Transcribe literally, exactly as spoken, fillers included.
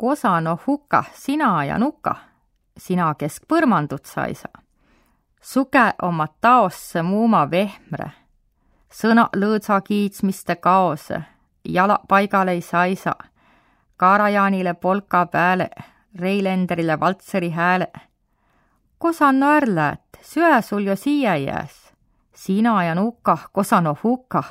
Kosa no huka, sina ja nuka, sina kesk põrmandut saisa. Suke oma taosse muuma vehmre. Sõna lõõdsa kiitsmiste kaose, jala paigal ei saisa. Karajanile polka pääle, Reilenderile valtseri hääle. Kosa no ärläät, süä sul jo siia jääs. Sina ja nuka, kosa no huka.